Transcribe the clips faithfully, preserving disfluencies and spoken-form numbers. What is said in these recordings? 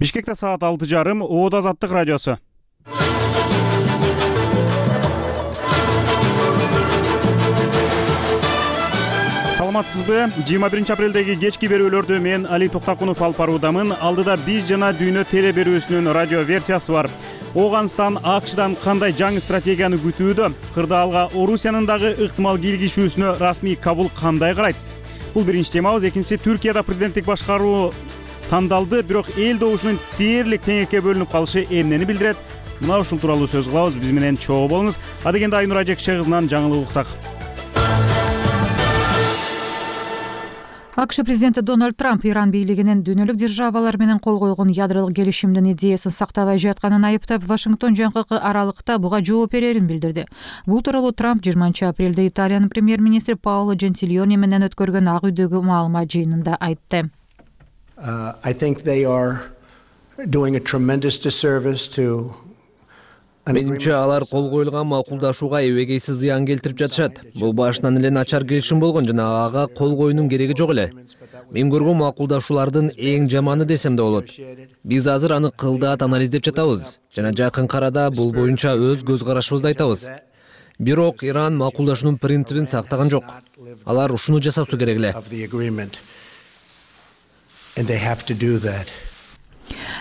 Бишкекте саат алты жарым, Оодо Азаттык радиосу. Саламатсызбы? жыйырма биринчи апрелдеги кечки берүүлөрдү мен Али Токтакунов алып баруудамын. Алдыда биз жана дүйнө теле берүүсүнүн радио версиясы бар. Оганстан АКШдан кандай жаңы стратегияны күтүүдө? Кырдаалга Орусиянын дагы ыктымал кийлигишүүсүнө расмий Кабул кандай карайт? Бул биринчи темабыз. Экинчиси, Түркияда президенттик башкаруу тандалды, бирок эл добушунун дээрлик теңекке бөлүнүп калышы эмнени билдирет? Мына ушул тууралуу сөз кылабыз. Биз менен чогуу болуңуз. Адегенде Айнур Ажекше кызынан жаңылык уксак. АКШ президенти Дональд Трамп Иран бийлигинин дүйнөлүк державалар менен кол койгон ядролук келишимдин идеясын сактабай жатканын айыптап, Вашингтон жакынкы аралыкта буга жооп берерин билдирди. Бул тууралуу Трамп жыйырманчы апрелде Италиянын премьер-министри Паоло Джентилиони менен өткөргөн Ак үйдөгү маалымат жыйынында айтты. Uh, I think they are doing a tremendous disservice to Менимче алар кол коюлган макулдашууга эбегейсиз зыян келтирип жатышат. Бул башынан эле начар келишим болгон жана ага кол коюунун кереги жок эле. Мен көргөн макулдашуулардын эң жаманы десем да болот. Биз азыр аны кылдаат анализдеп жатабыз жана жакынкы арада бул боюнча өз көз карашыбызды айтабыз. Бирок Иран макулдашуунун принцибин сактаган жок. Алар ушуну жасашысы керек эле. And they have to do that.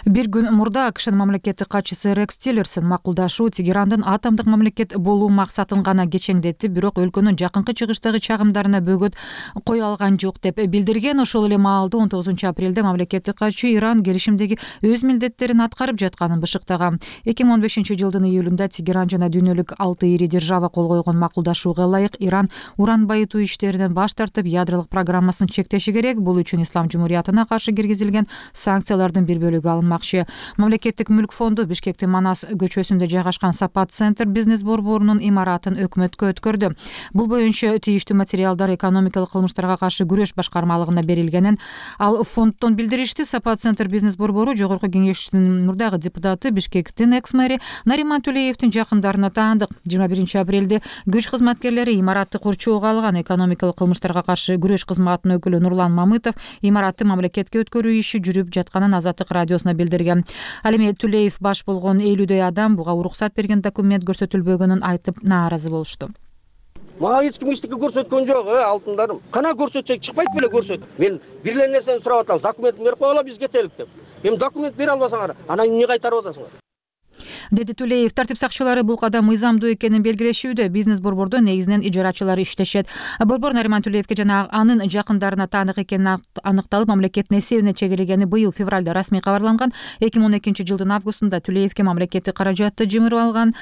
Бир күн мурда АКШнын мамлекеттик катчысы Рекс Тиллерсон макулдашуу Тегерандын атомдук мамлекет болуу максатын гана кечеңдетти, бирок өлкөнүн жакынкы чыгыштагы чагымдарына бөгөт кое алган жок деп билдирген. Ошол эле маалда он тогузунчу апрелде мамлекеттик катчы Иран келишимдеги өз милдеттерин аткарып жатканын бышыктаган. эки миң он бешинчи жылдын июлунда Тегеран жана дүйнөлүк алты ири держава кол койгон макулдашууга ылайык Иран уран байытуу иштеринен баш тартып, ядролук программасын чектеши керек. Бул үчүн Ислам Жумуриятына каршы киргизилген санкциялардын бир бөлүгү алынмакчы. Мамлекеттик мүлк фонду Бишкектин Манас көчөсүндө жайгашкан Сапат центр бизнес борборунун имаратын өкмөткө өткөрдү. Бул боюнча тийиштүү материалдар экономикалык кылмыштарга каршы күрөш башкармалыгына берилгенин ал фонддон билдиришти. Сапат центр бизнес борбору Жогорку Кеңештин мурдагы депутаты, Бишкектин экс-мэри Нариман Төлеевдин жакындарына таандык. жыйырма биринчи апрелде күч кызматкерлери имаратты курчоого алган. Экономикалык кылмыштарга каршы күрөш кызматынын өкүлү Нурлан Мамытов имаратты мамлекетке өткөрүү иши жүрүп жатканын Азаттык радиосуна билдирген. Ал эми Төлеев баш болгон элүүдөй адам буга уруксат берген документ көрсөтүлбөгөнүн айтып нааразы болушту. Мага эч ким эчтеке көрсөткөн жок, э, алтындарым. Кана көрсөтсөк чыкпайт беле көрсөт. Мен бир эле нерсени сурап атам, документин берип койгула, биз кетелик деп. Эми документ бере албасаңар, анан эмне кайтарып атасыңар? Деди Төлеев. Тартип сакчылары бул кадам мыйзамдуу экенин белгилешүүдө. Бизнес борбордо негизинен ижарачылар иштешет. Борбор Нариман Төлеевге жана анын жакындарына таандык экени аныкталып, мамлекеттин эсебине чегилгени быйыл февралда расмий кабарланган. эки миң он экинчи жылдын августунда Төлеевге мамлекеттик каражатты жымырып алган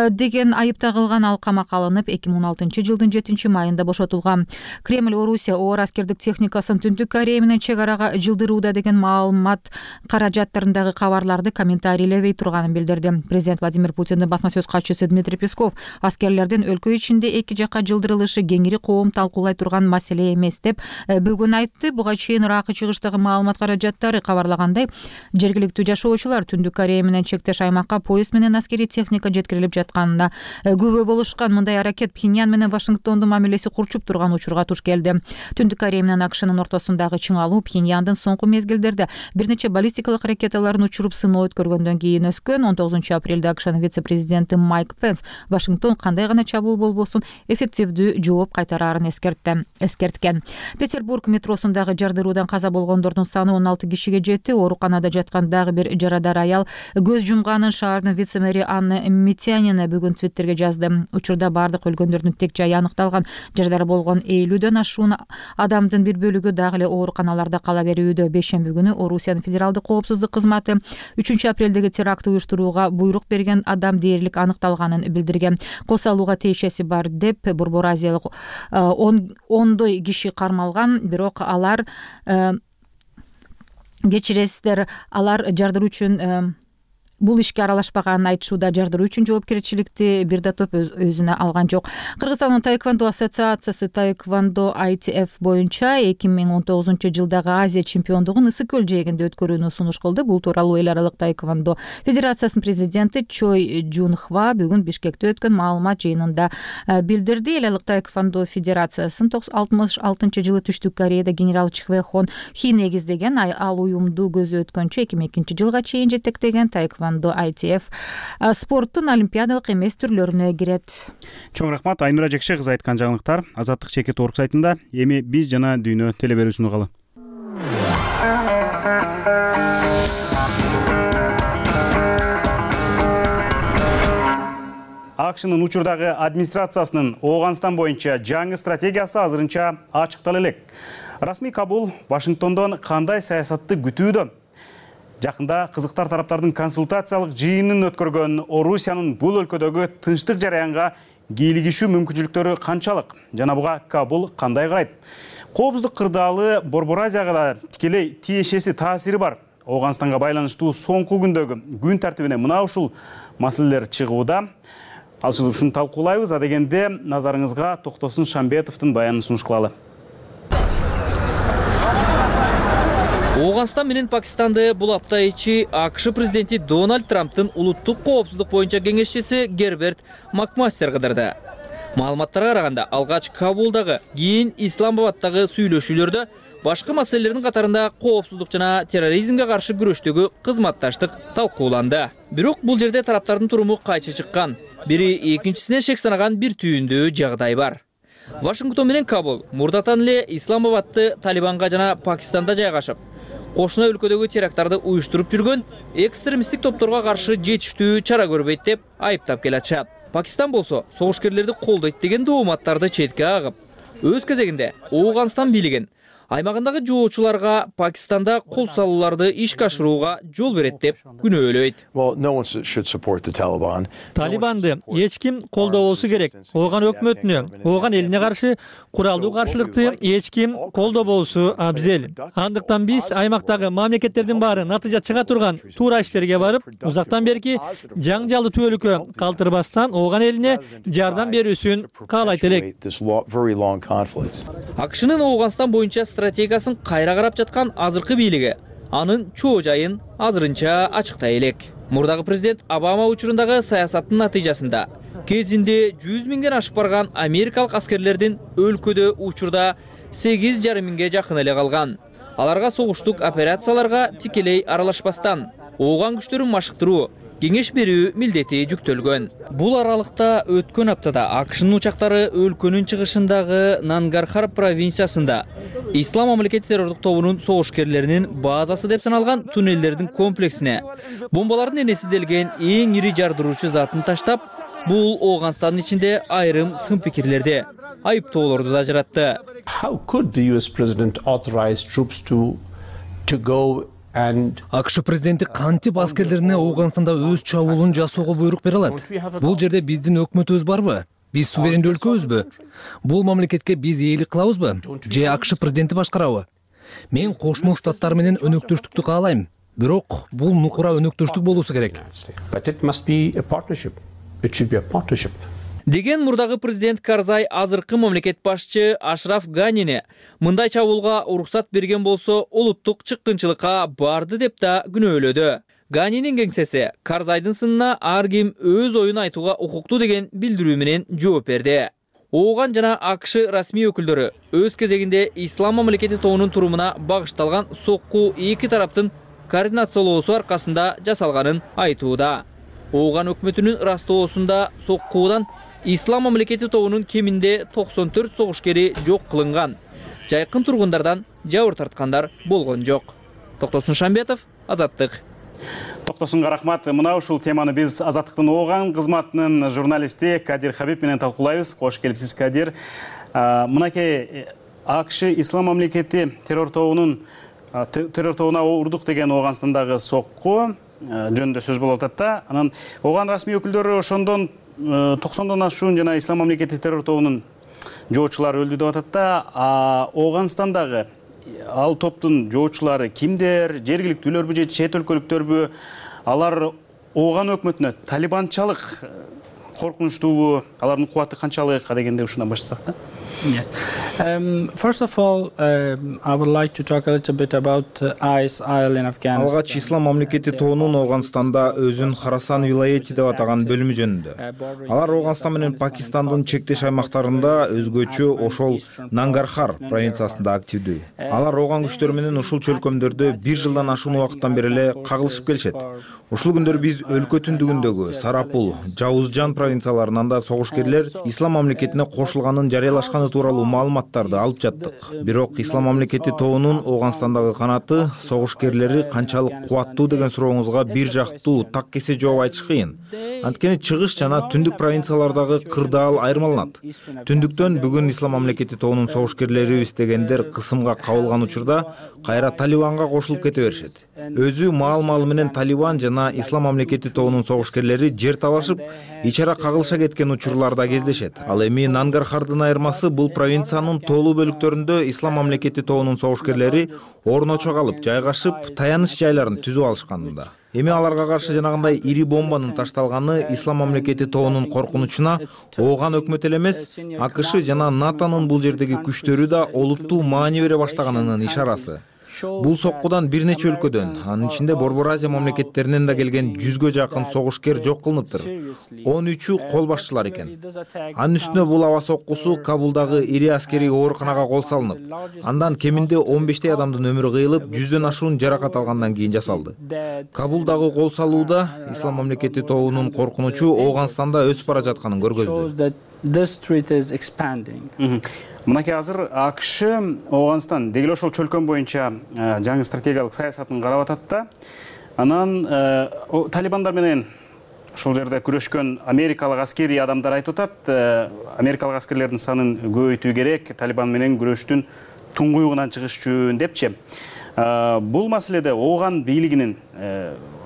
деген айып тагылган. Ал камакка алынып, эки миң он алтынчы жылдын жетинчи майында бошотулган. Кремль Орусия оор аскердик техникасын Түндүк Корея менен чек арага жылдырууда деген маалымат каражаттарындагы кабарларды комментарийлебей турганын билдирди. Президент Владимир Путиндин басма сөз катчысы Дмитрий Песков аскерлердин өлкө ичинде эки жакка жылдырылышы кеңири коом талкуулай турган маселе эмес деп бүгүн айтты. Буга чейин Иракы чыгыштагы маалымат каражаттары кабарлагандай, жергиликтүү жашоочулар Түндүк Корея менен чектеш аймакка поезд менен аскерий техника жеткирилип жатканына күбө болушкан. Мындай аракет Пхеньян менен Вашингтондун мамилеси курчуп турган учурга туш келди. Түндүк Корея менен АКШнын ортосундагы чыңалуу Пхеньяндын соңку мезгилдерде бир нече баллистикалык ракеталарын учуруп сыноо өткөргөндөн кийин өскөн. он тогузунчу апрелде АКШнын вице-президенти Майк Пенс Вашингтон кандай гана чабуул болбосун эффективдүү жооп кайтарарын эскертти. эскерткен. Петербург метросундагы жардыруудан каза болгондордун саны он алты кишиге жетти. Ооруканада жаткан дагы бир жарадар аял көз жумганын шаардын вице-мэри Анна Митянина бүгүн Твиттерге жазды. Учурда бардык өлгөндөрдүн тек жайы аныкталган. Жарадар болгон элүүдөн ашуун адамдын бир бөлүгү дагы эле ооруканаларда кала берүүдө. Бейшемби күнү Орусиянын федералдык коопсуздук кызматы үчүнчү апрелдеги теракт уюштурууга буйрук берген адам дээрлик аныкталганын билдирген. Кол салууга тиешеси бар деп Борбор Азиялык ондой киши кармалган, бирок алар кечиресиздер, алар жардыруу үчүн бул ишке аралашпаганын айтышууда. Жардыруу үчүн жоопкерчиликти бир да топ өзүнө алган жок. Кыргызстандын таэквондо ассоциациясы таэквондо ай ти эф боюнча эки миң он тогузунчу жылдагы Азия чемпиондугун Ысык көл жээгинде өткөрүүнү сунуш кылды. Бул тууралуу эл аралык таэквондо федерациясынын президенти Чой Жунхва бүгүн Бишкекте өткөн маалымат жыйынында билдирди. Эл аралык таэквондо федерациясынын алтымыш алтынчы жылы Түштүк Кореяда генерал Чхве-хон Хи негиздеген, ал уюмду көзү өткөнчө эки миң экинчи жылга чейин жетектеген таэквондо ай ти эф спорттун олимпиадалык эмес түрлөрүнө кирет. Чоң рахмат. Айнура Жекше кызы айткан жаңылыктар Азаттык чекит орг сайтында. Эми биз жана дүйнө телеберүүсүн угалы. АКШнын учурдагы администрациясынын Ооганстан боюнча жаңы стратегиясы азырынча ачыктала элек. Расмий Кабул Вашингтондон кандай саясатты күтүүдө? Жакында кызыктар тараптардын консультациялык жыйынын өткөргөн Орусиянын бул өлкөдөгү тынчтык жараянга кийлигишүү мүмкүнчүлүктөрү канчалык? Жана буга Кабул кандай карайт? Коопсуздук кырдаалы Борбор Азияга да тикелей тиешеси таасири бар. Ооганстанга байланыштуу соңку күндөгү күн тартибине мына ушул маселелер чыгууда. Ал ушуну талкуулайбыз. А дегенде назарыңызга Токтосун Шамбетовдун баянын сунуш кылалы. Ооганстан менен Пакистанды бул апта ичи АКШ президенти Дональд Трамптын улуттук коопсуздук боюнча кеңешчиси Герберт Макмастер кыдырды. Маалыматтарга караганда, алгач Кабулдагы, кийин Исламабадтагы сүйлөшүүлөрдө башкы маселелердин катарында коопсуздук жана терроризмге каршы күрөштөгү кызматташтык талкууланды. Бирок бул жерде тараптардын туруму кайчы чыккан. Бири экинчисине шек санаган бир түйүндүү жагдай бар. Вашингтон менен Кабул мурдатан эле Исламабадты Талибанга жана Пакистанда жайгашып, кошуна өлкөдөгү теракттарды уюштуруп жүргөн экстремисттик топторго каршы жетиштүү чара көрбөйт деп айыптап келатышат. Пакистан болсо согушкерлерди колдойт деген дооматтарды четке агып, өз кезегинде Ооганстан бийлигин аймагындагы жоочуларга Пакистанда кол салууларды ишке ашырууга жол берет деп күнөөлөйт. Талибанды эч ким колдобосу керек. Ооган өкмөтүнө, ооган элине каршы куралдуу каршылыкты эч ким колдобосу абзел. Андыктан биз аймактагы мамлекеттердин баары натыйжа чыга турган туура иштерге барып, узактан берки жаңжалды түбөлүккө калтырбастан ооган элине жардам берүүсүн каалайт элек. АКШнын Ооганстан боюнча стратегиясын кайра карап жаткан азыркы бийлиги анын чоо жайын азырынча ачыктай элек. Мурдагы президент Обама учурундагы саясаттын натыйжасында кезинде жүз миңден ашып барган америкалык аскерлердин өлкөдө учурда сегиз жарым миңге жакын эле калган. Аларга согуштук операцияларга тикелей аралашпастан ооган күчтөрүн машыктыруу, кеңеш берүү милдети жүктөлгөн. Бул аралыкта өткөн аптада АКШнын учактары өлкөнүн чыгышындагы Нангархар провинциясында Ислам мамлекети террордук тобунун согушкерлеринин базасы деп саналган туннелдердин комплексине бомбалардын энеси делген эң ири жардыруучу затын таштап, бул Ооганстандын ичинде айрым сын пикирлерди, айыптоолорду да жаратты. How could the U S president authorize troops to to go АКШ президенти кантип аскерлерине Ооганстанда өз чабуулун жасоого буйрук бере алат? Бул жерде биздин өкмөтүбүз барбы? Биз суверендүү өлкөбүзбү? Бул мамлекетке биз ээлик кылабызбы? Же АКШ президенти башкарабы? Мен Кошмо Штаттар менен өнөктөштүктү каалайм. Бирок бул нукура өнөктөштүк болуусу керек. But it must be a partnership. It should be a partnership. Деген мурдагы президент Карзай азыркы мамлекет башчы Ашраф Ганине мындай чабуулга уруксат берген болсо улуттук чыккынчылыкка барды деп да күнөөлөдү. Ганинин кеңсеси Карзайдын сынына ар ким өз оюн айтууга укуктуу деген билдирүү менен жооп берди. Ооган жана АКШ расмий өкүлдөрү өз кезегинде Ислам мамлекети тобунун турумуна багышталган сокку эки тараптын координациялоосу аркасында жасалганын айтууда. Ооган өкмөтүнүн растоосунда соккуудан Ислам мамлекети тобунун кеминде токсон төрт согушкери жок кылынган. Жайкын тургундардан жабыр тарткандар болгон жок. Токтосун Шамбетов, Азаттык. Токтосунга рахмат. Мына ушул теманы биз Азаттыктын Ооган кызматынын журналисти Кадир Хабиб менен талкуулайбыз. Кош келипсиз, Кадир. Мынакей АКШ Ислам мамлекети террор тобунун террор тобуна урдук деген Ооганстандагы сокку жөнүндө сөз болуп атат да. Анан Ооган расмий өкүлдөрү ошондон токсондон ашуун жана Ислам мамлекети террор тобунун жоочулары өлдү деп атат да. А Ооганстандагы ал топтун жоочулары кимдер? Жергиликтүүлөрбү же чет өлкөлүктөрбү? Алар ооган өкмөтүнө талибанчалык коркунучтуубу, алардын кубаты канчалык дегенде ушундан баштасак да. Yes. Um, first of all, um, I would like to talk a little bit about uh, I S I L in Afghanistan. Алгач ислам мамлекети тоонун Ооганстанда өзүн Харасан вилайети деп атаган бөлүмү жөнүндө. Алар Ооганстан менен Пакистандын чектеш аймактарында өзгөчө ошол Нангархар провинциясында активдүү. Алар ооган күчтөр менен ушул чөлкөмдөрдө бир жылдан ашуун убакыттан бери эле кагылышып келишет. Ушул күндөр биз өлкө түндүгүндөгү Сарапул, Жаузжан провинцияларынан да согушкерлер ислам мамлекетине кошулганын жарыялашканы тууралуу маалыматтарды алып жаттык. Бирок ислам мамлекети тоонун Ооганстандагы канаты согушкерлери канчалык кубаттуу деген сурооңузга бир жактуу так кесе жооп айтыш кыйын. Анткени чыгыш жана түндүк провинциялардагы кырдаал айырмаланат. Түндүктөн бүгүн ислам мамлекети тоонун согушкерлерибиз дегендер кысымга кабылган учурда кайра Талибанга кошулуп кете беришет. Өзү маал-маалы менен Талибан жана ислам мамлекети тоонун согушкерлери жер талашып, ич ара кагылыша кеткен учурларда кездешет. Ал эми Нангархардын айырмасы бул провинциянын тоолуу бөлүктөрүндө ислам мамлекети тоонун согушкерлери орночо калып, жайгашып, таяныч жайларын түзүп алышканында. Эми аларга каршы жанагындай ири бомбанын ташталганы ислам мамлекети тоонун коркунучуна ооган өкмөт эле эмес, АКШ жана НАТОнун бул жердеги күчтөрү да олуттуу маани бере баштаганынын ишарасы. Бул соккудан бир нече өлкөдөн, анын ичинде Борбор Азия мамлекеттеринен да келген жүзгө жакын согушкер жок кылыныптыр. он үчү кол башчылар экен. Анын үстүнө бул аба соккусу Кабулдагы ири аскерий ооруканага кол салынып, андан кеминде он бештей адамдын өмүрү кыйылып, жүздөн ашуун жаракат алгандан кийин жасалды. Кабулдагы кол салууда ислам мамлекети тоонун коркунучу Ооганстанда өсүп бара жатканын көргөздү. Мынакей азыр АКШ Ооганстан деги эле ошол чөлкөм боюнча жаңы стратегиялык саясатын карап атат да. Анан талибандар менен ошол жерде күрөшкөн америкалык аскерий адамдар айтып атат, америкалык аскерлердин санын көбөйтүү керек, талибан менен күрөштүн туңгуюгунан чыгыш үчүн депчи. Бул маселеде ооган бийлигинин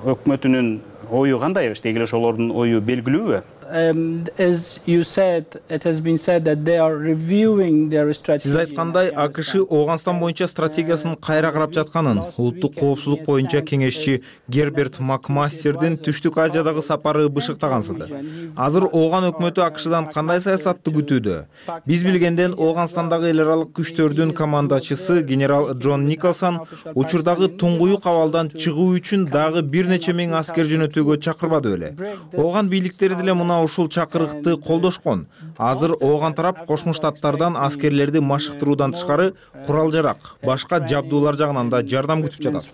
өкмөтүнүн ою кандай? Деги эле ошолордун ою белгилүүбү? Um, as you said, it has been said that they are reviewing their strategy. Сиз айткандай, АКШ Ооганстан боюнча стратегиясын кайра карап жатканын улуттук коопсуздук боюнча кеңешчи Герберт Макмастердин Түштүк Азиядагы сапары бышыктагансыды. Азыр ооган өкмөтү АКШдан кандай саясатты күтүүдө? Биз билгенден Ооганстандагы эл аралык күчтөрдүн командачысы генерал Джон Николсон учурдагы туңгуюк абалдан чыгуу үчүн дагы бир нече миң аскер жөнөтүүгө чакырбады беле. Ооган бийликтери деле муна ушул чакырыкты колдошкон. Азыр ооган тарап Кошмо Штаттардан аскерлерди машыктыруудан тышкары курал-жарак, башка жабдуулар жагынан да жардам күтүп жатат.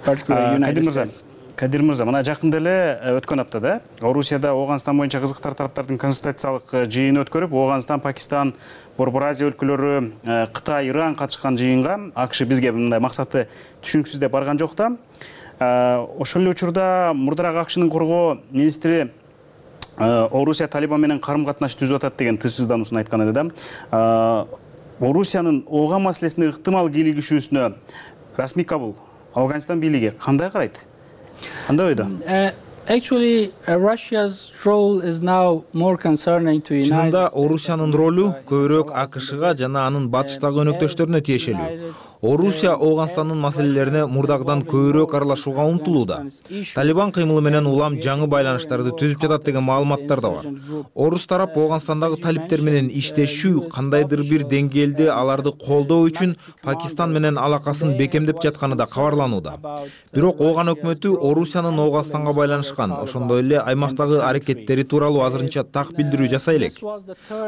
Кадир мырза, Кадир мырза, мына жакында эле өткөн аптада Орусияда Ооганстан боюнча кызыктар тараптардын консультациялык жыйыны өткөрүп, Ооганстан, Пакистан, Борбор Азия өлкөлөрү, Кытай, Иран катышкан жыйынга АКШ бизге мындай максаты түшүнүксүз деп барган жок да. Ошол эле учурда мурдараак АКШнын коргоо министри Орусия Талибан менен карым-катнаш түзүп атат деген тынчсыздануусун айткан эле да. Орусиянын ооган маселесине ыктымал кийлигишүүсүнө расмий Кабул, Афганистан бийлиги кандай карайт? Кандай ойдо? Actually, Russia's role is now more concerning to United States. Чынында Орусиянын ролу көбүрөөк АКШга жана анын батыштагы өнөктөштөрүнө тиешелүү. Орусия Ооганстандын маселелерине мурдагыдан көбүрөөк аралашууга умтулууда. Талибан кыймылы менен улам жаңы байланыштарды түзүп жатат деген маалыматтар да бар. Орус тарап Ооганстандагы талиптер менен иштешүү, кандайдыр бир деңгээлде аларды колдоо үчүн Пакистан менен алакасын бекемдеп жатканы да кабарланууда. Бирок ооган өкмөтү Орусиянын Ооганстанга байланышкан, ошондой эле аймактагы аракеттери тууралуу азырынча так билдирүү жасай элек.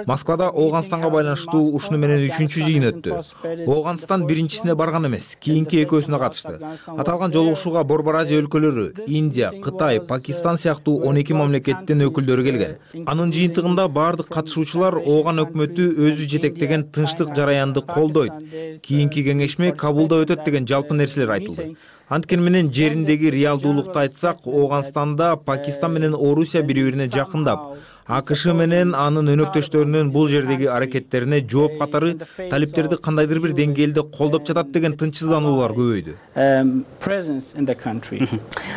Москвада Ооганстанга байланыштуу ушуну менен үчүнчү жыйын өттү. Ооганстан биринчи барган эмес, кийинки экөөсүнө катышты. Аталган жолугушууга Борбор Азия өлкөлөрү, Индия, Кытай, Пакистан сыяктуу он эки мамлекеттин өкүлдөрү келген. Анын жыйынтыгында бардык катышуучулар ооган өкмөтү өзү жетектеген тынчтык жараянды колдойт. Кийинки кеңешме Кабулда өтөт деген жалпы нерселер айтылды. Анткени менен жериндеги реалдуулукту айтсак, Ооганстанда Пакистан менен Орусия бири-бирине жакындап, АКШ менен анын өнөктөштөрүнүн бул жердеги аракеттерине жооп катары талиптерди кандайдыр бир деңгээлде колдоп жатат деген тынчсыздануулар көбөйдү.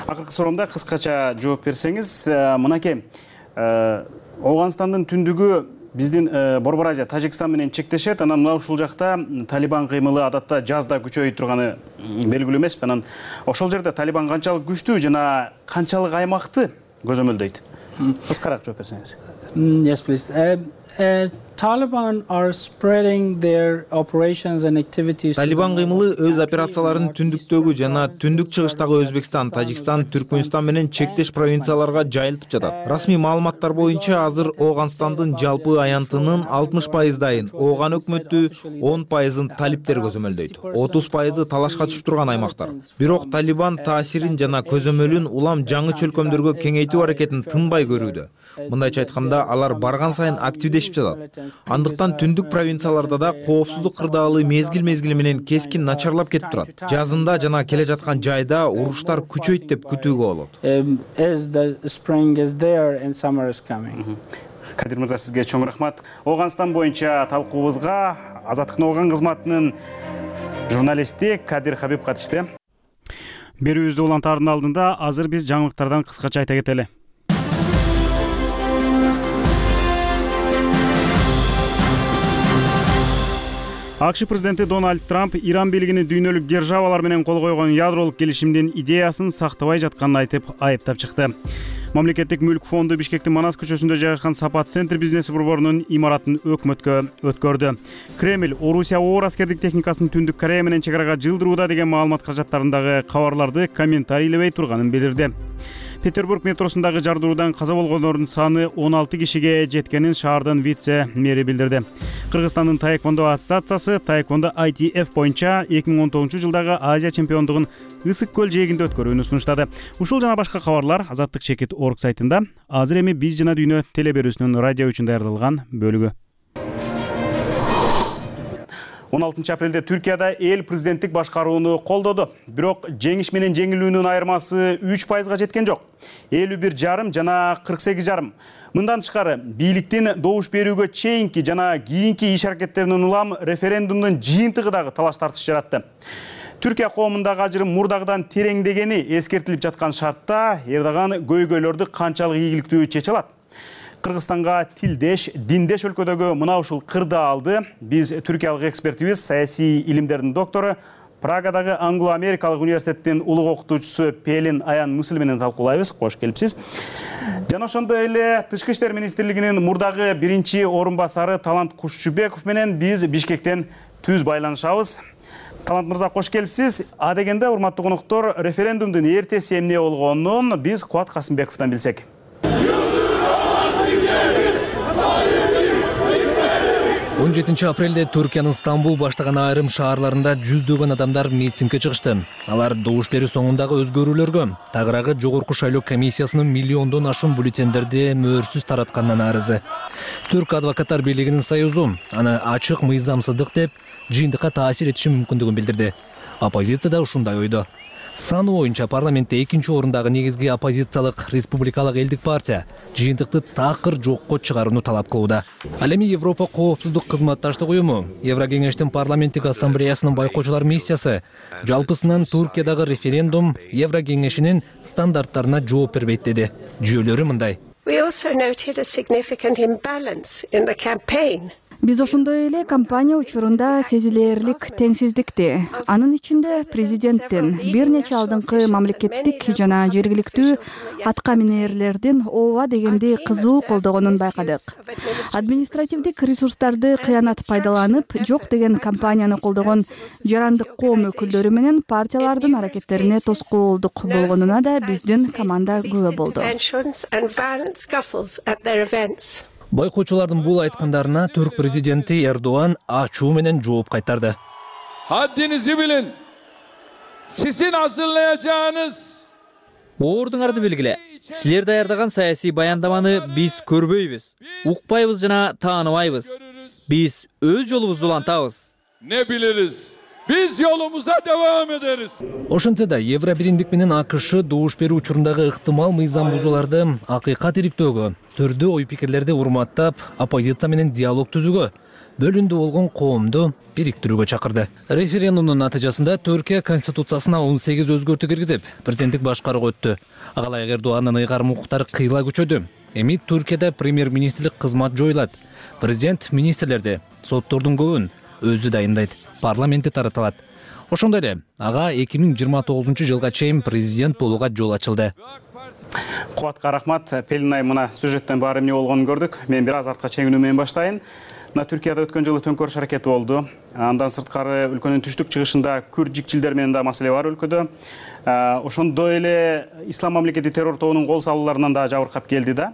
Акыркы суроомда кыскача жооп берсеңиз, мынакей Ооганстандын түндүгү биздин Борбор Азия Тажикстан менен чектешет. Анан мына ушул жакта Талибан кыймылы адатта жазда күчөйүп турганы белгилүү эмеспи. Анан ошол жерде Талибан канчалык күчтүү жана канчалык аймакты көзөмөлдөйт? Кыскараак жооп берсеңиз. Yes, please. Uh, uh, Taliban are spreading their operations and activities. Талибан кыймылы өз операцияларын түндүктөгү жана түндүк чыгыштагы Өзбекстан, Тажикстан, Түркмөнстан менен чектеш провинцияларга жайылтып жатат. Расмий маалыматтар боюнча азыр Ооганстандын жалпы аянтынын алтымыш пайыздайын Ооган өкмөтү, он пайызын талиптер көзөмөлдөйт. отуз пайызы талашка түшүп турган аймактар. Бирок Талибан таасирин жана көзөмөлүн улам жаңы чөлкөмдөргө кеңейтүү аракетин тынбай көрүүдө. Мындайча айтканда, алар барган сайын активдешип жатат. Андыктан түндүк провинцияларда да коопсуздук кырдаалы мезгил-мезгили менен кескин начарлап кетип турат. Жазында жана келе жаткан жайда уруштар күчөйт деп күтүүгө болот. As the spring is there and summer is coming. Кадир мырза, сизге чоң рахмат. Ооганстан боюнча талкуубузга Азаттыктын Ооган кызматынын журналисти Кадир Хабиб катышты. Берүүбүздү улантаардын алдында азыр биз жаңылыктардан кыскача айта кетели. АКШ президенти Дональд Трамп Иран бийлигини дүйнөлүк державалар менен кол койгон ядролук келишимдин идеясын сактабай жатканын айтып айыптап чыкты. Мамлекеттик мүлк фонду Бишкектин Манас көчөсүндө жайгашкан Сапат центр бизнес борборунун имаратын өкмөткө өткөрдү. Кремль Орусия оор аскердик техникасын Түндүк Корея менен чегарага жылдырууда деген маалымат каражаттарындагы кабарларды комментарийлебей турганын билдирди. Петербург метросундагы жардыруудан каза болгондордун саны он алты кишиге жеткенин шаардын вице-мэри билдирди. Кыргызстандын таэквондо ассоциациясы таэквондо ай ти эф боюнча эки миң он тогузунчу жылдагы Азия чемпиондугун Ысык көл жээгинде өткөрүүнү сунуштады. Ушул жана башка кабарлар Азаттык чекит точка орг сайтында. Азыр эми биз жана дүйнө телеберүүсүнүн радио үчүн даярдалган бөлүгү. он алтынчы апрелде Түркияда эл президенттик башкарууну колдоду. Бирок жеңиш менен жеңилүүнүн айырмасы үч пайызга жеткен жок. элүү бир жарым жана кырк сегиз жарым. Мындан тышкары, бийликтин добуш берүүгө чейинки жана кийинки иш аракеттеринин улам референдумдун жыйынтыгы дагы талаш тартыш жаратты. Түркия коомундагы ажырым мурдагыдан тереңдегени эскертилип жаткан шартта Эрдоган көйгөйлөрдү канчалык ийгиликтүү чече алат? Кыргызстанга тилдеш, диндеш өлкөдөгү мына ушул кырды алды. Биз түркиялык экспертибиз, саясий илимдердин доктору, Прагадагы Англо-Америкалык университеттин улуг окутуучусу Пелин Аян Муслим менен талкуулайбыз. Кош келипсиз. Жана ошондой эле Тышкы иштер министрлигинин мурдагы биринчи орун басары Талант Кушчубеков менен биз Бишкектен түз байланышабыз. Талант мырза, кош келипсиз. А дегенде, урматтуу коноктор, референдумдун эртеси эмне болгонун биз Кубат Касымбековдон билсек. он жетинчи апрелде Түркиянын Стамбул баштаган айрым шаарларында жүздөгөн адамдар митингге чыгышты. Алар добуш берүү соңундагы өзгөрүүлөргө, тагыраагы жогорку шайлоо комиссиясынын миллиондон ашуун бюллетендерди мөөрсүз таратканынан арызы. Түрк адвокаттар бийлигинин союзу аны ачык мыйзамсыздык деп жыйынтыкка таасир этиши мүмкүндүгүн билдирди. Оппозиция да ушундай ойдо. Саны боюнча парламентте экинчи орундагы негизги оппозициялык Республикалык элдик партия жыйынтыкты такыр жокко чыгарууну талап кылууда. Ал эми Европа коопсуздук кызматташтык уюму, Еврокеңештин парламенттик ассамблеясынын байкоочулар миссиясы жалпысынан Туркиядагы референдум Еврокеңешинин стандарттарына жооп бербейт деди. Жүйөлөрү мындай. Биз ошондой эле кампания учурунда сезилээрлик теңсиздикти, анын ичинде президенттин бир нече алдыңкы мамлекеттик жана жергиликтүү атка минээрлердин ооба дегенди кызуу колдогонун байкадык. Административдик ресурстарды кыянат пайдаланып, жок деген кампанияны колдогон жарандык коом өкүлдөрү менен партиялардын аракеттерине тоскоолдук болгонуна да биздин команда күбө болду. Байкоочулардын бул айткандарына түрк президенти Эрдоган ачуу менен жооп кайтарды. Haddinizi bilin. Sizin hazırlayacağınız Оордуңарды белгиле. Силер даярдаган саясий баяндаманы биз көрбөйбүз, укпайбыз жана тааныбайбыз. Биз өз жолубузду улантабыз. Ne biliriz? Biz yolumuza devam ederiz. Ошентсе да Евро бириндик менен АКШ добуш берүү учурундагы ыктымал мыйзам бузууларды акыйкат иликтөөгө, түрдүү ой пикирлерди урматтап, оппозиция менен диалог түзүүгө, бөлүндү болгон коомду бириктирүүгө чакырды. Референдумдун натыйжасында Түркия конституциясына он сегиз өзгөртүү киргизип, президенттик башкарууга өттү. Агалайык Эрдогандын ыйгарым укуктары кыйла күчөдү. Эми Түркияда премьер-министрлик кызмат жоюлат. Президент министрлерди, соттордун көбүн өзү дайындайт, парламентте таратылат. Ошондой эле ага эки миң жыйырма тогузунчу жылга чейин президент болууга жол ачылды. Кубатка рахмат. Пелинай, мына сюжеттен баары эмне болгонун көрдүк. Мен бир аз артка чегинүү менен баштайын. Мына Түркияда өткөн жылы төңкөрүш аракети болду. Андан сырткары өлкөнүн түштүк чыгышында күрд жикчилдер менен да маселе бар өлкөдө. Ошондой эле ислам мамлекети террор тобунун кол салууларынан да жабыркап келди да.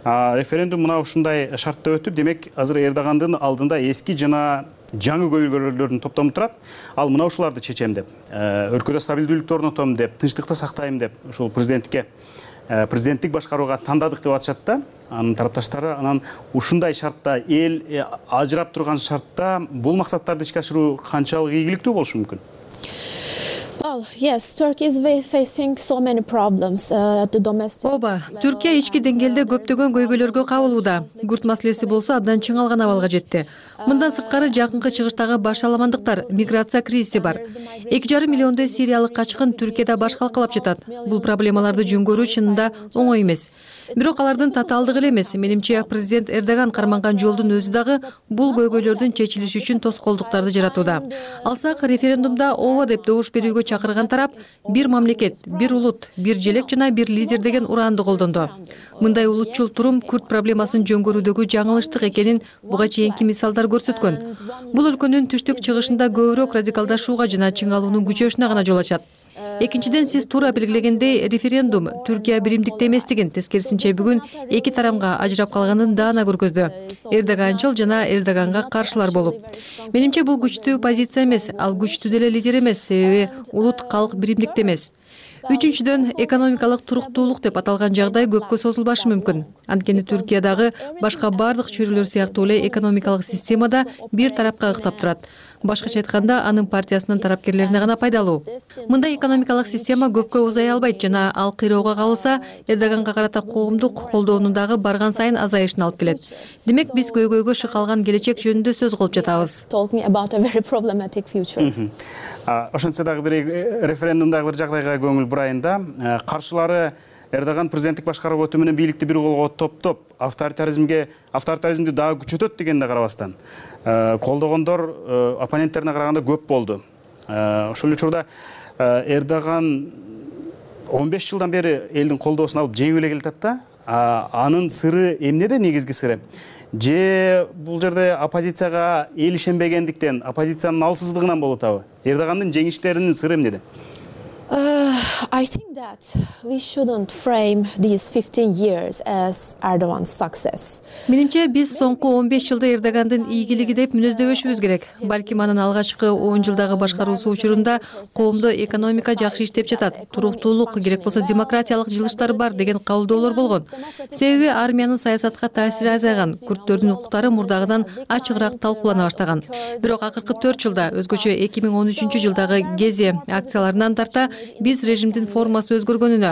Референдум мына ушундай шартта өтүп, демек азыр Эрдогандын алдында эски жана жаңы көйгөйлөрдүн топтому турат. Ал мына ушуларды чечем деп, өлкөдө стабилдүүлүктү орнотом деп, тынчтыкты сактайм деп, ушул президенттикке президенттик башкарууга тандадык деп атышат да. Анын тарапташтары анан ушундай шартта, эл ажырап турган шартта бул максаттарды ишке ашыруу канчалык ийгиликтүү болушу мүмкүн? Well, yes, Turkey is facing so many problems uh, at the domestic. Ооба, Түркия ички деңгээлде көптөгөн көйгөйлөргө кабылууда. Күрд маселеси болсо абдан чыңалган абалга жетти. Мындан сырткары жакынкы чыгыштагы башаламандыктар, миграция кризиси бар. эки жарым миллиондой сириялык качкын Түркияда баш калкалап жатат. Бул проблемаларды жөнгөрүү чынында оңой эмес. Бирок алардын татаалдыгы эле эмес. Менимче президент Эрдоган карманган жолдун өзү дагы бул көйгөйлөрдүн чечилиши үчүн тоскоолдуктарды жаратууда. Алсак референдумда ооба деп добуш берүүгө чакырган тарап бир мамлекет, бир улут, бир желек жана бир лидер деген ураанды колдонду. Мындай улутчул турум күрд проблемасын жөнгөрүүдөгү жаңылыштык экенин буга чейинки мисалдар көрсөткөн. Бул өлкөнүн түштүк чыгышында көбүрөөк радикалдашууга жана чыңалуунун күчөшүнө гана жол ачат. Экинчиден, сиз туура белгилегендей, референдум Түркия биримдикте эместигин, тескерисинче бүгүн эки тарамга ажырап калганын даана көргөздү. Эрдоганчыл жана Эрдоганга каршылар болуп. Менимче бул күчтүү позиция эмес, ал күчтүү деле лидер эмес, себеби улут калк биримдикте эмес. Үчүнчүдөн, экономикалык туруктуулук деп аталган жагдай көпкө созулбашы мүмкүн. Анткени Түркиядагы башка бардык чөйрөлөр сыяктуу эле экономикалык системада бир тарапка ыктап турат. Башкача айтканда, анын партиясынын тарапкерлерине гана пайдалуу. Мындай экономикалык система көпкө узай албайт жана ал кыйроого калса, Эрдоганга карата коомдук колдоонун дагы барган сайын азайышына алып келет. Демек, биз көйгөйгө шыкалган келечек жөнүндө сөз кылып жатабыз. Ошентсе дагы бир референдумдагы бир жагдайга көңүл бурайын да. Каршылары Эрдоган президенттик башкаруу өтүү менен бийликти бир колго топтоп, авторитаризмге, авторитаризмди дагы күчөтөт дегенде карабастан, колдогондор оппоненттерине караганда көп болду. Ошол учурда Эрдоган он беш жылдан бери элдин колдоосун алып жеңип эле келатат да. Анын сыры эмнеде, негизги сыры? Же бул жерде оппозицияга эл ишенбегендиктен, оппозициянын алсыздыгынан болуп атабы? Эрдогандын жеңиштеринин сыры эмнеде? Uh, I think that we shouldn't frame these fifteen years as Erdogan's success. Менимче, биз соңку он беш жылда Эрдогандын ийгилиги деп мүнөздөбөшүбүз керек. Балким анын алгачкы он жылдагы башкаруусу учурунда коомдо экономика жакшы иштеп жатат, туруктуулук, керек болсо демократиялык жылыштар бар деген кабылдоолор болгон. Себеби армиянын саясатка таасири азайган, күрдтөрдүн укуктары мурдагыдан ачыгыраак талкуулана баштаган. Бирок акыркы төрт жылда, өзгөчө эки миң он үчүнчү жылдагы Гези акцияларынан тарта биз режимдин формасы өзгөргөнүнө,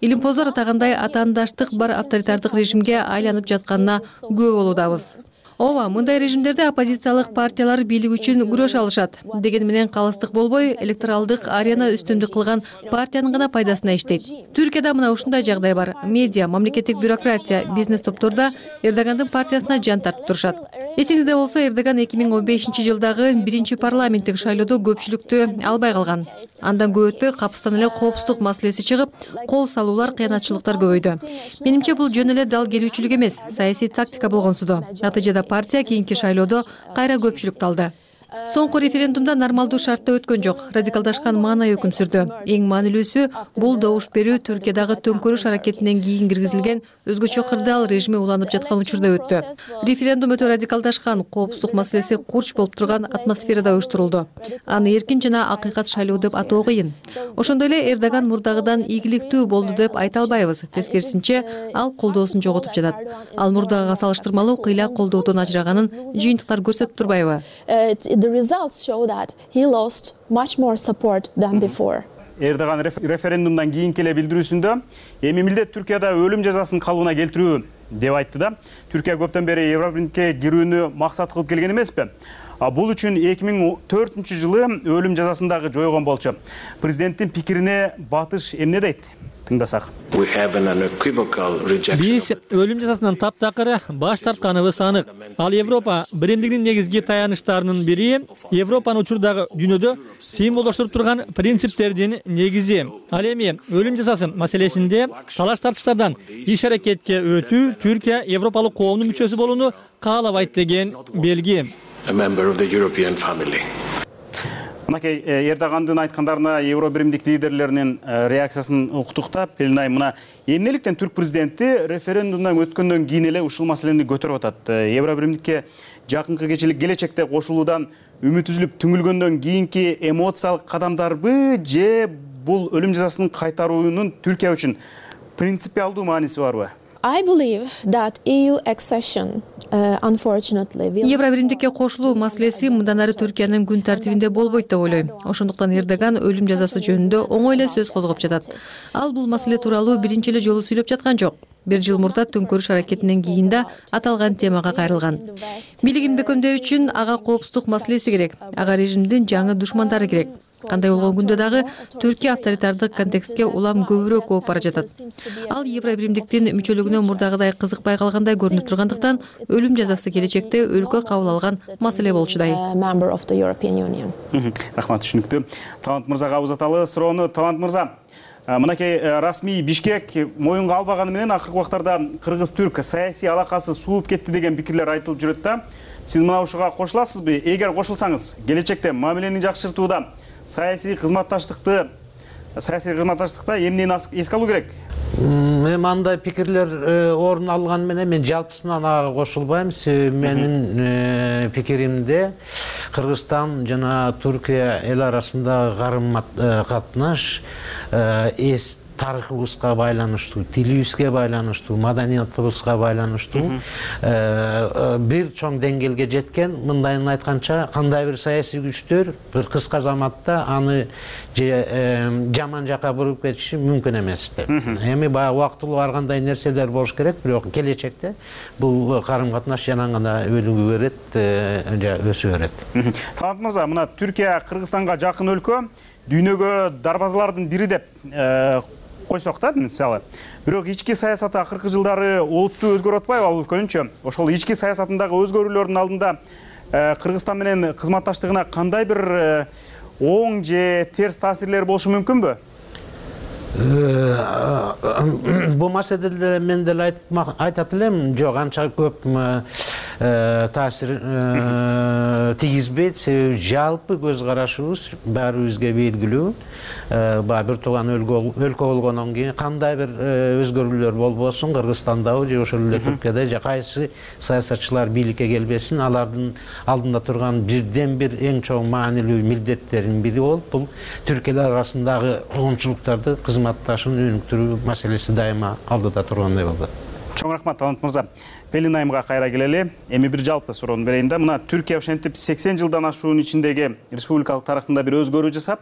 илимпоздор атагандай атаандаштык бар авторитардык режимге айланып жатканына күбө болуудабыз. Ооба, мындай режимдерде оппозициялык партиялар бийлик үчүн күрөш алышат. Деген менен калыстык болбой, электоралдык арена үстүмдүк кылган партиянын гана пайдасына иштейт. Түркияда мына ушундай жагдай бар. Медиа, мамлекеттик бюрократия, бизнес топторда Эрдогандын партиясына жан тартып турушат. Эсиңизде болсо, Эрдоган эки миң он бешинчи жылдагы биринчи парламенттик шайлоодо көпчүлүктү албай калган. Андан көп өтпөй капыстан эле коопсуздук маселеси чыгып, кол салуулар, кыянатчылыктар көбөйдү. Менимче, бул жөн эле дал келүүчүлүк эмес, саясий тактика болгонсуду. Натыйжада партия кийинки шайлоодо кайра көпчүлүктү алды. Соңку референдумда нормалдуу шартта өткөн жок, радикалдашкан маанай өкүм сүрдү. Эң маанилүүсү бул добуш берүү Түркиядагы төңкөрүш аракетинен кийин киргизилген өзгөчө кырдаал режими уланып жаткан учурда өттү. Референдум өтө радикалдашкан, коопсуздук маселеси курч болуп турган атмосферада уюштурулду. Аны эркин жана акыйкат шайлоо деп атоо кыйын. Ошондой эле Эрдоган мурдагыдан ийгиликтүү болду деп айта албайбыз. Тескерисинче, ал колдоосун жоготуп жатат. Ал мурдагыга салыштырмалуу кыйла колдоодон ажыраганын жыйынтыктар көрсөтүп турбайбы? The results show that he lost much more support than before. Эрдоган референдумдан кийинки эле билдирүүсүндө эми милдет Түркияда өлүм жазасын калыбына келтирүү деп айтты да. Түркия көптөн бери Евробирикке кирүүнү максат кылып келген эмеспи? Бул үчүн эки миң төртүнчү жылы өлүм жазасын дагы жойгон болчу. Президенттин пикирине батыш эмне дейт? тыңдасак. Биз өлүм жазасынан таптакыр баш тартканыбыз анык. Ал Европа биримдигинин негизги таяныштарынын бири, Европаны учурдагы дүйнөдө символдоштуруп турган принциптердин негизи. Ал эми өлүм жазасы маселесинде талаш тартыштардан иш аракетке өтүү Түркия Европалык коомдун мүчөсү болууну каалабайт деген белги. Мынакей Эрдогандын айткандарына Евро биримдик лидерлеринин реакциясын уктук да. Пелин айым, мына эмнеликтен түрк президенти референдумдан өткөндөн кийин эле ушул маселени көтөрүп атат? Евро биримдикке жакынкы кечилик келечекте кошулуудан үмүт үзүлүп түңүлгөндөн кийинки эмоциялык кадамдарбы же бул өлүм жазасын кайтаруунун Түркия үчүн принципиалдуу мааниси барбы? I believe that E U accession, uh, unfortunately, will... Евро биримдикке кошулуу маселеси мындан ары Түркиянын күн тартибинде болбойт деп ойлойм. Ошондуктан Эрдоган өлүм жазасы жөнүндө оңой эле сөз козгоп жатат. Ал бул маселе тууралуу биринчи эле жолу сүйлөп жаткан жок. Бир жыл мурда төңкөрүш аракетинен кийин да аталган темага кайрылган. Бийлигин бекемдөө үчүн ага коопсуздук маселеси керек. Ага режимдин жаңы душмандары керек. Кандай болгон күндө дагы Түркия авторитардык контекстке улам көбүрөөк ооп бара жатат. Ал Евро биримдиктин мүчөлүгүнө мурдагыдай кызыкпай калгандай көрүнүп тургандыктан өлүм жазасы келечекте өлкө кабыл алган маселе болчудай. Рахмат, түшүнүктүү. Талант мырзага узаталы суроону. Талант мырза, мынакей расмий Бишкек моюнга албаганы менен акыркы убактарда кыргыз-түрк саясий алакасы сууп кетти деген пикирлер айтылып жүрөт да. Сиз мына ушуга кошуласызбы? Эгер кошулсаңыз, келечекте мамилени жакшыртууда саясий кызматташтыкты саясий кызматташтыкта эмнени эске алуу керек? Эми андай пикирлер орун алган менен мен жалпысынан ага кошулбайм. Менин пикиримде Кыргызстан жана Түркия эл арасындагы карым-катнаш эс тарыхыбызга байланыштуу, тилибизге байланыштуу, маданиятыбызга байланыштуу бир чоң деңгээлге жеткен. Мындайын айтканча, кандай бир саясий күчтөр бир кыска заматта аны жаман жака буруп кетиши мүмкүн эмес деп. Эми баягы убактылуу баргандай нерселер болуш керек, бирок келечекте бул карым-катнаш жана гана өнүгө берет, же өсө берет. Талант мырза, мына Түркия Кыргызстанга жакын өлкө, дүйнөгө дарбазалардын бири деп койсок да, мисалы. Бирок ички саясаты акыркы жылдары олуттуу өзгөрүп атпайбы ал өлкөнүнчө? Ошол ички саясатындагы өзгөрүүлөрдүн алдында Кыргызстан менен кызматташтыгына кандай бир оң же терс таасирлери болушу мүмкүнбү? Бул маселеде мен деле айтат элем, жок, анча көп таасир тийгизбейт. Себеби жалпы көз карашыбыз баарыбызга белгилүү. Баягы бир тууган өлкө болгондон кийин кандай бир өзгөрүүлөр болбосун, Кыргызстандабы же ошол эле Түркияда же кайсы саясатчылар бийликке келбесин, алардын алдында турган бирден бир эң чоң маанилүү милдеттердин бири болуп, бул Түркиялар арасындагы коомчулуктарды кызматташын өнүктүрүү маселеси дайыма алдыда тургандай болду. Чоң рахмат, Талант мырза. Пелин айымга кайра келели. Эми бир жалпы суроону берейин да. Мына Түркия ошентип сексен жылдан ашуунун ичиндеги республикалык тарыхында бир өзгөрүү жасап,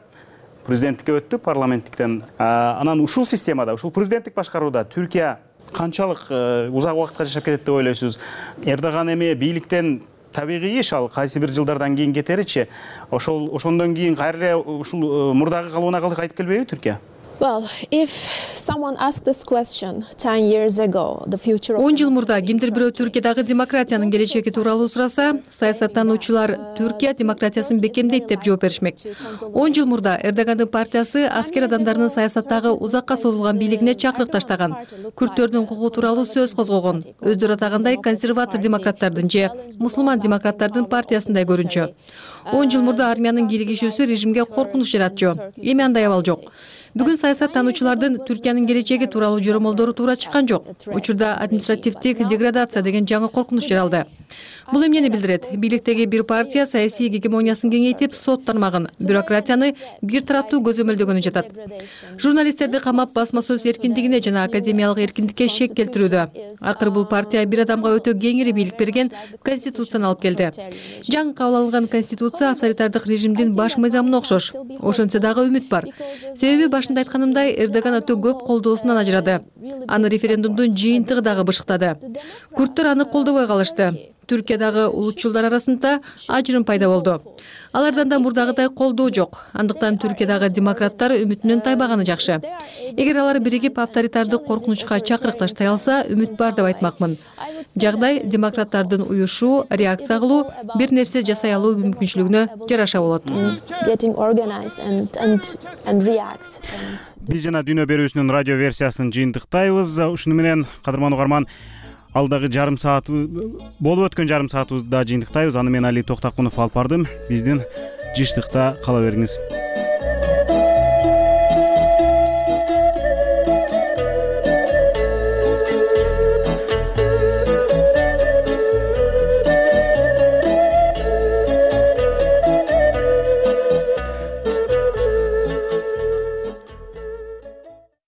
президенттикке өттү, парламенттиктен. Анан ушул системада, ушул президенттик башкарууда Түркия канчалык узак убакытка жашап кетет деп ойлойсуз? Эрдоган эми бийликтен табигый иш, ал кайсы бир жылдардан кийин кетеричи, ошол ошондон кийин кайра ушул мурдагы калыбына кайтып келбейби Түркия? Well, if someone asked this question ten years ago, the future of он жыл мурда кимдир бирөө Түркиядагы демократиянын келечеги тууралуу сураса, саясаттануучулар Түркия демократиясын бекемдейт деп жооп беришмек. он жыл мурда Эрдогандын партиясы аскер адамдарынын саясаттагы узакка созулган бийлигине чакырык таштаган, күрттөрдүн укугу тууралуу сөз козгогон, өздөрү атагандай консерватор демократтардын же мусулман демократтардын партиясындай көрүнчү. он жыл мурда армиянын киригишүүсү режимге коркунуч жаратчу. Эми андай абал жок. Бүгүн саясаттануучулардын Түркиянын келечеги тууралуу жоромолдору туура чыккан жок. Учурда административдик деградация деген жаңы коркунуч жаралды. Бул эмнени билдирет? Бийликтеги бир партия саясий гегемониясын кеңейтип, сот тармагын, бюрократияны бир тараптуу көзөмөлдөгөнү жатат. Журналисттерди камап, басма сөз эркиндигине жана академиялык эркиндикке шек келтирүүдө. Акыры бул партия бир адамга өтө кеңири бийлик берген конституцияны алып келди. Жаңы кабыл алынган конституция авторитардык режимдин баш мыйзамына окшош. Ошентсе дагы үмүт бар. Себеби башында айтканымдай, Эрдоган өтө көп колдоосунан ажырады. Аны референдумдун жыйынтыгы дагы бышыктады. Күрттөр аны колдобой калышты. Түркиядагы улутчулдар арасында ажырым пайда болду. Алардан да мурдагыдай колдоо жок. Андыктан Түркиядагы демократтар үмүтүнөн тайбаганы жакшы. Эгер алар биригип авторитардык коркунучка чакырыкташтай алса, үмүт бар деп айтмакмын. Жагдай демократтардын уюшуу, реакция кылуу, бир нерсе жасай алуу мүмкүнчүлүгүнө жараша болот. Биз жана Дүйнө берүүсүнүн радио версиясын жыйынтыктайбыз. Ушуну менен кадырман угарман, алдагы жарым саат болуп өткөн жарым саатыбызды жыйынтыктайбыз. Аны мен Али Токтакунов алып бардым. Биздин жыштыкта кала бериңиз.